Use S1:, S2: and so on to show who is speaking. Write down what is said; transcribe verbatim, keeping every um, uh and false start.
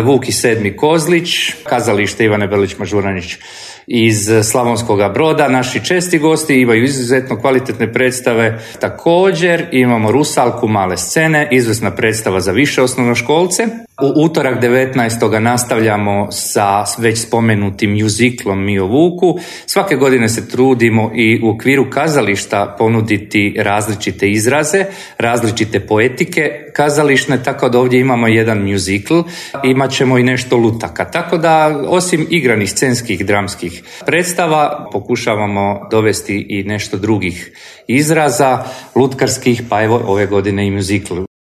S1: Vuk i sedmi Kozlić, kazalište Ivane Belić-Mažuranić iz Slavonskoga Broda. Naši česti gosti imaju izuzetno kvalitetne predstave. Također imamo Rusalku male scene, izvrsna predstava za više osnovnoškolce. U utorak devetnaestog nastavljamo sa već spomenutim mjuziklom Mi o Vuku. Svake godine se trudimo i u okviru kazališta ponuditi različite izraze, različite poetike kazališne, tako da ovdje imamo jedan mjuzikl, imat ćemo i nešto lutaka. Tako da osim igranih scenskih dramskih predstava pokušavamo dovesti i nešto drugih izraza lutkarskih, pa evo ove godine i mjuzikl.